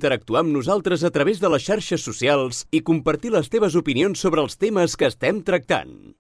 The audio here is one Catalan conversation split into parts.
interactuar amb nosaltres a través de les xarxes socials i compartir les teves opinions sobre els temes que estem tractant.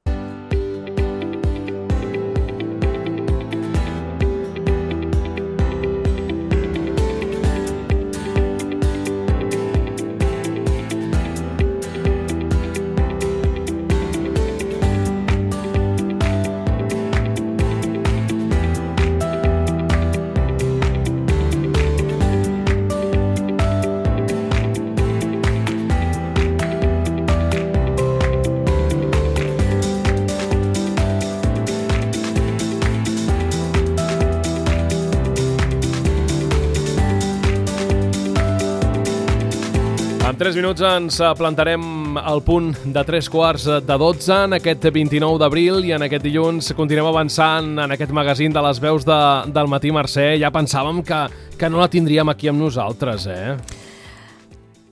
En 3 minuts ens plantarem al punt de 3:15 en aquest 29 d'abril i en aquest dilluns continuem avançant en aquest magazín de les veus del matí. Mercè, ja pensàvem que no la tindríem aquí amb nosaltres,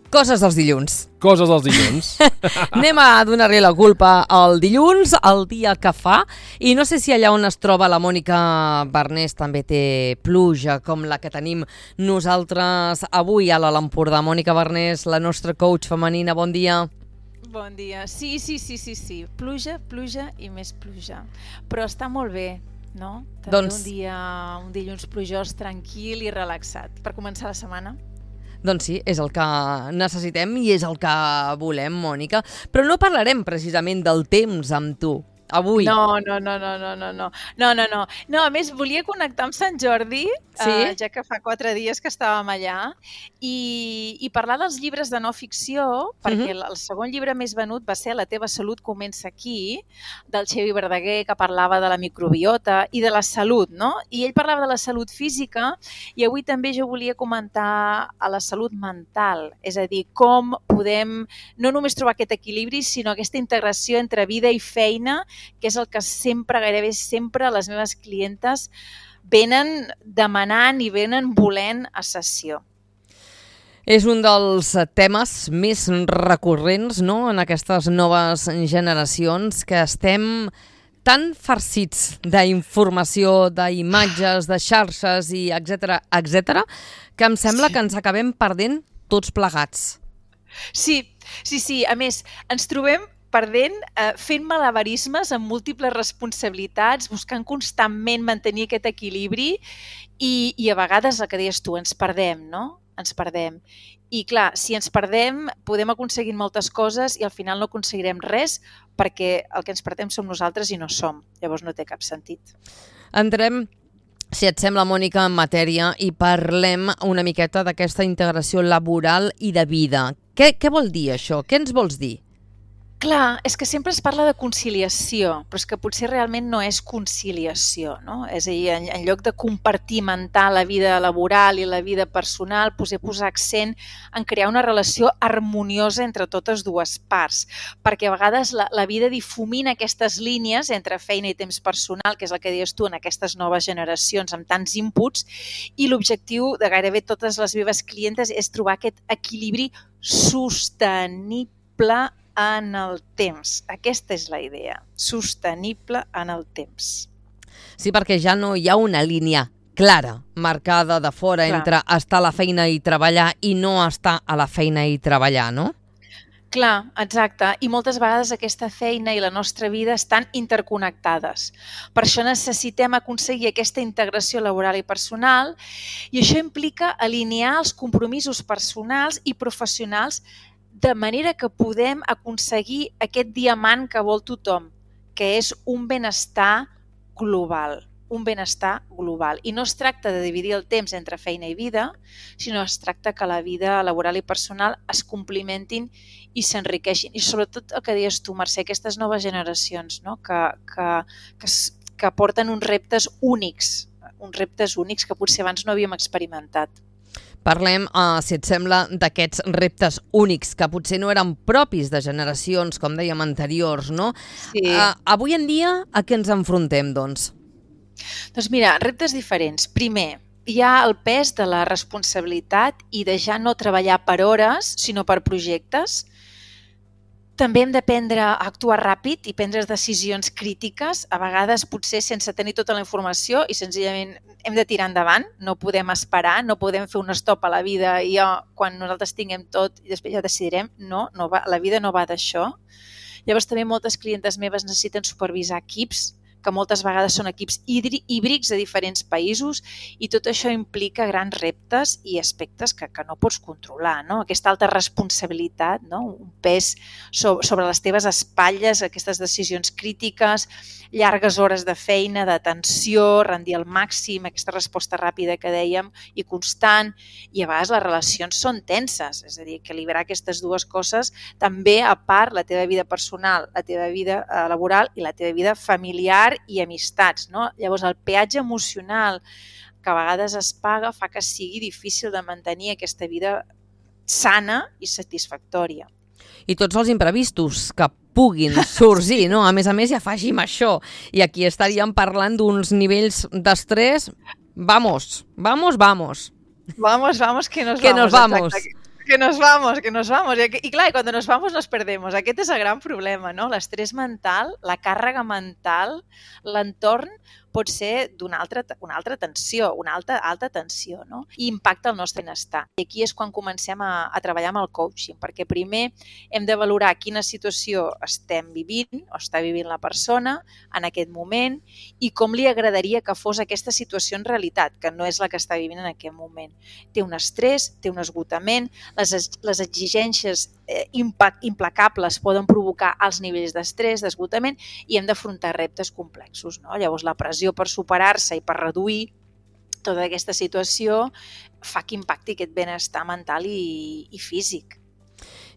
Coses dels dilluns. Coses dels dilluns. Anem a donar-li la culpa al dilluns, el dia que fa, i no sé si allà on es troba la Mònica Barnés també té pluja, com la que tenim nosaltres avui a l'Alt Empordà. Mònica Barnés, la nostra coach femenina, bon dia. Bon dia. Sí. Pluja i més pluja. Però està molt bé, no? També un dilluns plujós, tranquil i relaxat. Per començar la setmana. Doncs sí, és el que necessitem i és el que volem, Mònica. Però no parlarem precisament del temps amb tu avui. No, a més volia connectar amb Sant Jordi, ja que fa 4 dies que estàvem allà, i parlar dels llibres de no ficció, perquè el segon llibre més venut va ser La teva salut comença aquí, del Xevi Verdaguer, que parlava de la microbiota i de la salut, no? I ell parlava de la salut física i avui també jo volia comentar a la salut mental, és a dir, com podem no només trobar aquest equilibri, sinó aquesta integració entre vida i feina, que és el que gairebé sempre les meves clientes venen demanant i venen volent a sessió. És un dels temes més recurrents, no?, en aquestes noves generacions, que estem tan farcits d'informació, d'imatges, de xarxes i etcètera, que em sembla que ens acabem perdent tots plegats. Sí. A més, ens trobem perdent, fent malabarismes amb múltiples responsabilitats, buscant constantment mantenir aquest equilibri i a vegades, el que deies tu, ens perdem, no? Ens perdem. I clar, si ens perdem, podem aconseguir moltes coses i al final no aconseguirem res perquè el que ens perdem som nosaltres i no som. Llavors no té cap sentit. Entrem, si et sembla, Mònica, en matèria i parlem una miqueta d'aquesta integració laboral i de vida. Què vol dir això? Què ens vols dir? Clar, és que sempre es parla de conciliació, però és que potser realment no és conciliació, no? És a dir, en lloc de compartimentar la vida laboral i la vida personal, posar accent en crear una relació harmoniosa entre totes dues parts, perquè a vegades la vida difumina aquestes línies entre feina i temps personal, que és el que deies tu en aquestes noves generacions amb tants inputs, i l'objectiu de gairebé totes les meves clientes és trobar aquest equilibri sostenible en el temps. Aquesta és la idea, sostenible en el temps. Sí, perquè ja no hi ha una línia clara, marcada de fora entre estar a la feina i treballar i no estar a la feina i treballar, no? Clar, exacte. I moltes vegades aquesta feina i la nostra vida estan interconnectades. Per això necessitem aconseguir aquesta integració laboral i personal i això implica alinear els compromisos personals i professionals de manera que podem aconseguir aquest diamant que vol tothom, que és un benestar global. I no es tracta de dividir el temps entre feina i vida, sinó es tracta que la vida laboral i personal es complementin i s'enriqueixin. I sobretot el que deies tu, Mercè, aquestes noves generacions, no? que porten uns reptes únics que potser abans no havíem experimentat. Parlem, si et sembla, d'aquests reptes únics que potser no eren propis de generacions, com dèiem, anteriors, no? Sí. Avui en dia, a què ens enfrontem, doncs? Doncs mira, reptes diferents. Primer, hi ha el pes de la responsabilitat i de ja no treballar per hores, sinó per projectes. També hem d'aprendre a actuar ràpid i prendre decisions crítiques, a vegades potser sense tenir tota la informació i senzillament hem de tirar endavant, no podem esperar, no podem fer un stop a la vida i quan nosaltres tinguem tot i després ja decidirem. No va, la vida no va d'això. Llavors també moltes clientes meves necessiten supervisar equips, que moltes vegades són equips híbrids de diferents països i tot això implica grans reptes i aspectes que no pots controlar, no? Aquesta alta responsabilitat, no? Un pes sobre les teves espatlles, aquestes decisions crítiques, llargues hores de feina, d'atenció, rendir al màxim, aquesta resposta ràpida que dèiem i constant, i a vegades les relacions són tenses, és a dir, equilibrar aquestes dues coses també a part la teva vida personal, la teva vida laboral i la teva vida familiar i amistats, no? Llavors, el peatge emocional que a vegades es paga fa que sigui difícil de mantenir aquesta vida sana i satisfactòria. I tots els imprevistos que puguin sorgir, no? A més, ja afegim això. I aquí estaríem parlant d'uns nivells d'estrès. Vamos, que nos vamos. Exacte. Que nos vamos. I clar, cuando nos vamos nos perdemos. Aquest és el gran problema, no? L'estrès mental, la càrrega mental, l'entorn pot ser una alta tensió, una alta tensió, no? I impacta el nostre benestar. I aquí és quan comencem a treballar amb el coaching, perquè primer hem de valorar quina situació estem vivint o està vivint la persona en aquest moment i com li agradaria que fos aquesta situació en realitat, que no és la que està vivint en aquest moment. Té un estrès, té un esgotament, les exigències implacables poden provocar alts nivells d'estrès, d'esgotament i hem d'afrontar reptes complexos, no? Llavors la pressió per superar-se i per reduir tota aquesta situació fa que impacti aquest benestar mental i físic.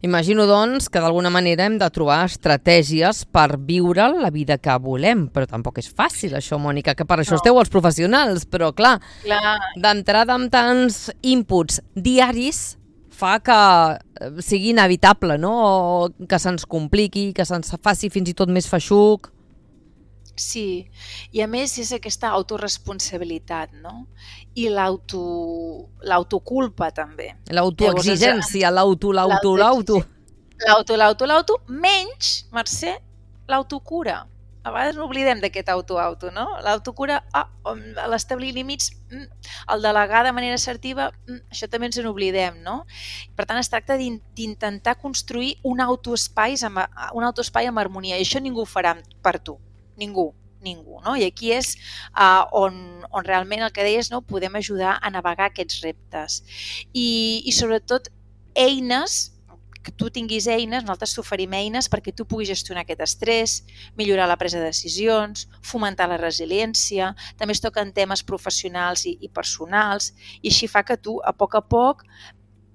Imagino, doncs, que d'alguna manera hem de trobar estratègies per viure la vida que volem, però tampoc és fàcil això, Mònica, que per això esteu els professionals, però clar. D'entrada amb tants inputs diaris fa que sigui inevitable, no? O que se'ns compliqui, que se'ns faci fins i tot més feixuc. Sí, i a més és aquesta autoresponsabilitat, no? I l'autoculpa també. L'autoexigència, l'auto. L'auto, menys, Mercè, l'autocura. A vegades n'oblidem d'aquest auto, no? L'autocura, l'establir límits, el delegar de manera assertiva, això també ens n'oblidem, no? Per tant, es tracta d'intentar construir un autoespai amb harmonia, i això ningú ho farà per tu, ningú, no? I aquí és on realment el que deies, no? Podem ajudar a navegar aquests reptes. I sobretot eines, que tu tinguis eines, nosaltres t'oferim eines perquè tu puguis gestionar aquest estrès, millorar la presa de decisions, fomentar la resiliència, també es toquen temes professionals i personals, i així fa que tu a poc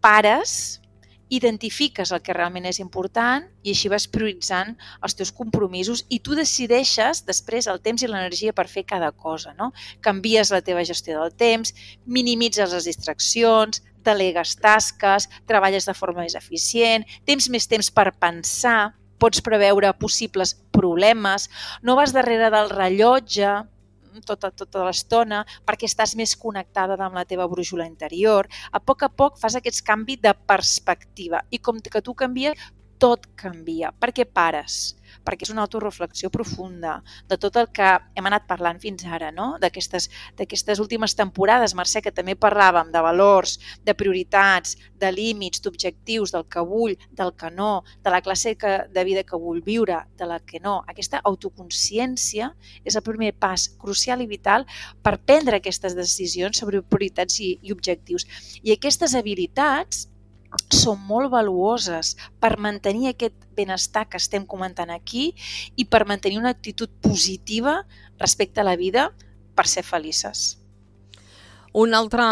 pares, identifiques el que realment és important i així vas prioritzant els teus compromisos i tu decideixes després el temps i l'energia per fer cada cosa, no? Canvies la teva gestió del temps, minimitzes les distraccions, delegues tasques, treballes de forma més eficient, tens més temps per pensar, pots preveure possibles problemes, no vas darrere del rellotge tota l'estona perquè estàs més connectada amb la teva brúixola interior. A poc fas aquest canvi de perspectiva i com que tu canvies, tot canvia. Per què pares? Perquè és una autoreflexió profunda de tot el que hem anat parlant fins ara, no? D'aquestes últimes temporades, Mercè, que també parlàvem de valors, de prioritats, de límits, d'objectius, del que vull, del que no, de la classe de vida que vull viure, de la que no. Aquesta autoconsciència és el primer pas crucial i vital per prendre aquestes decisions sobre prioritats i objectius. I aquestes habilitats són molt valuoses per mantenir aquest benestar que estem comentant aquí i per mantenir una actitud positiva respecte a la vida per ser felices. Un altre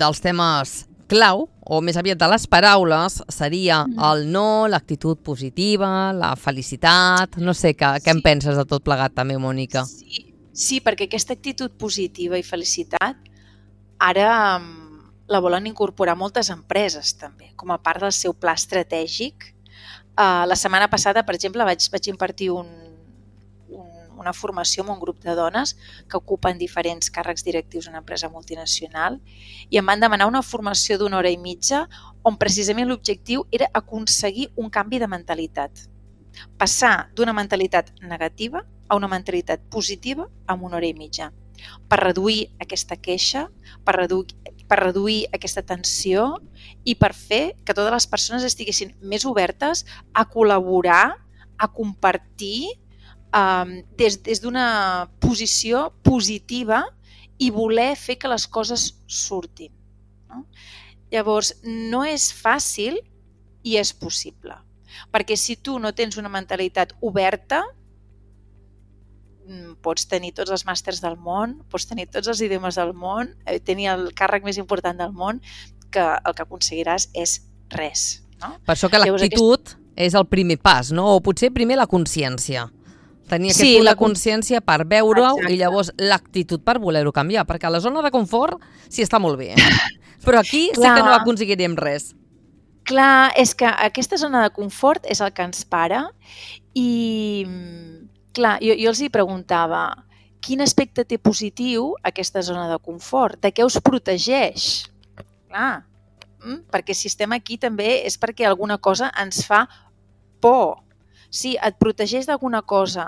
dels temes clau, o més aviat de les paraules, seria el no, l'actitud positiva, la felicitat. No sé, què en penses de tot plegat també, Mònica? Sí, perquè aquesta actitud positiva i felicitat ara la volen incorporar moltes empreses també, com a part del seu pla estratègic. La setmana passada, per exemple, vaig impartir una formació amb un grup de dones que ocupen diferents càrrecs directius en una empresa multinacional i em van demanar una formació d'1 hora i mitja on precisament l'objectiu era aconseguir un canvi de mentalitat. passar d'una mentalitat negativa a una mentalitat positiva en 1 hora i mitja, per reduir aquesta queixa, per reduir aquesta tensió i per fer que totes les persones estiguessin més obertes a col·laborar, a compartir des d'una posició positiva i voler fer que les coses surtin. No? Llavors, no és fàcil i és possible. Perquè si tu no tens una mentalitat oberta, pots tenir tots els màsters del món, pots tenir tots els idiomes del món, tenir el càrrec més important del món, que el que aconseguiràs és res. No? Per això que l'actitud és el primer pas, no? O potser primer la consciència. Tenir aquest punt de consciència per veure-ho i llavors l'actitud per voler-ho canviar, perquè a la zona de confort sí està molt bé. Però aquí sí que no aconseguirem res. Clar, és que aquesta zona de confort és el que ens para i, clar, jo els hi preguntava quin aspecte té positiu aquesta zona de confort, de què us protegeix? Clar, perquè si estem aquí també és perquè alguna cosa ens fa por. Sí, et protegeix d'alguna cosa,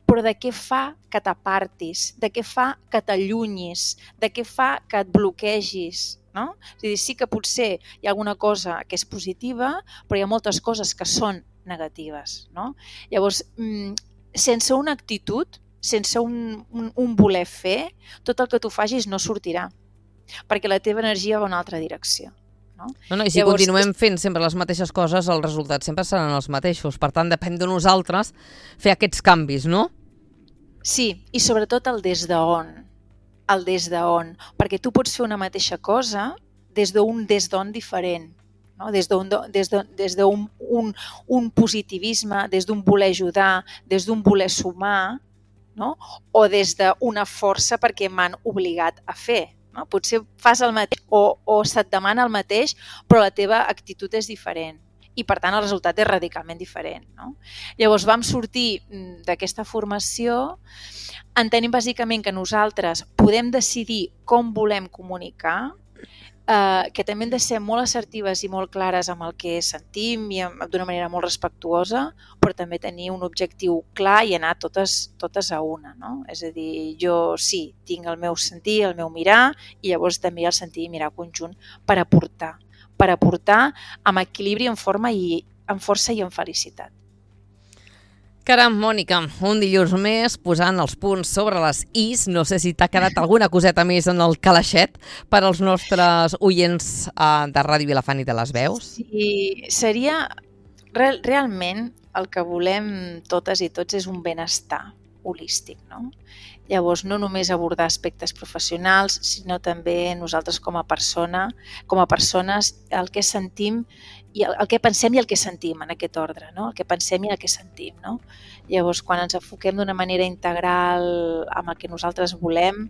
però de què fa que t'apartis, de què fa que t'allunyis, de què fa que et bloquegis, no? És a dir, sí que potser hi ha alguna cosa que és positiva, però hi ha moltes coses que són negatives, no? Llavors, sense una actitud, sense un voler fer, tot el que tu facis no sortirà, perquè la teva energia va a una altra direcció. No? I si continuem fent sempre les mateixes coses, els resultats sempre seran els mateixos. Per tant, depèn de nosaltres fer aquests canvis, no? Sí, i sobretot el des d'on. El des d'on. Perquè tu pots fer una mateixa cosa des d'on diferent. No? Des d'un positivisme, des d'un voler ajudar, des d'un voler sumar, no? O des d'una força perquè m'han obligat a fer. No? Potser fas el mateix o se't demana el mateix, però la teva actitud és diferent i per tant el resultat és radicalment diferent. No? Llavors vam sortir d'aquesta formació entenent bàsicament que nosaltres podem decidir com volem comunicar, que també hem de ser molt assertives i molt clares amb el que sentim i d'una manera molt respectuosa, però també tenir un objectiu clar i anar totes a una. No? És a dir, jo sí, tinc el meu sentir, el meu mirar i llavors també el sentir i mirar conjunt per aportar amb equilibri, en forma i amb força i amb felicitat. Caram, Mònica, un dilluns més posant els punts sobre les is. No sé si t'ha quedat alguna coseta més en el calaixet per als nostres oients de Ràdio Vilafant i de les Veus. Sí, seria realment el que volem totes i tots és un benestar holístic, no? Llavors, no només abordar aspectes professionals, sinó també nosaltres com a persones, el que sentim i el que pensem i el que sentim en aquest ordre, no? El que pensem i el que sentim, no? Llavors, quan ens enfoquem d'una manera integral amb el que nosaltres volem,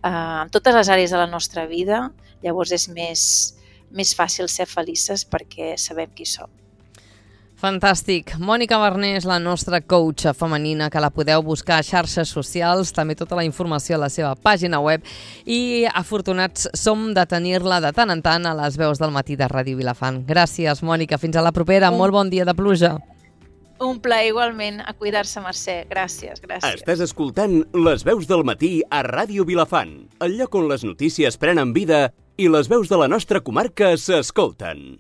en totes les àrees de la nostra vida, llavors és més fàcil ser felices perquè sabem qui som. Fantàstic. Mònica Barnés, la nostra coach femenina, que la podeu buscar a xarxes socials, també tota la informació a la seva pàgina web, i afortunats som de tenir-la de tant en tant a les Veus del Matí de Ràdio Vilafant. Gràcies, Mònica. Fins a la propera. Molt bon dia de pluja. Un plaer igualment. A cuidar-se, Mercè. Gràcies. Estàs escoltant Les Veus del Matí a Ràdio Vilafant, el lloc on les notícies prenen vida i les veus de la nostra comarca s'escolten.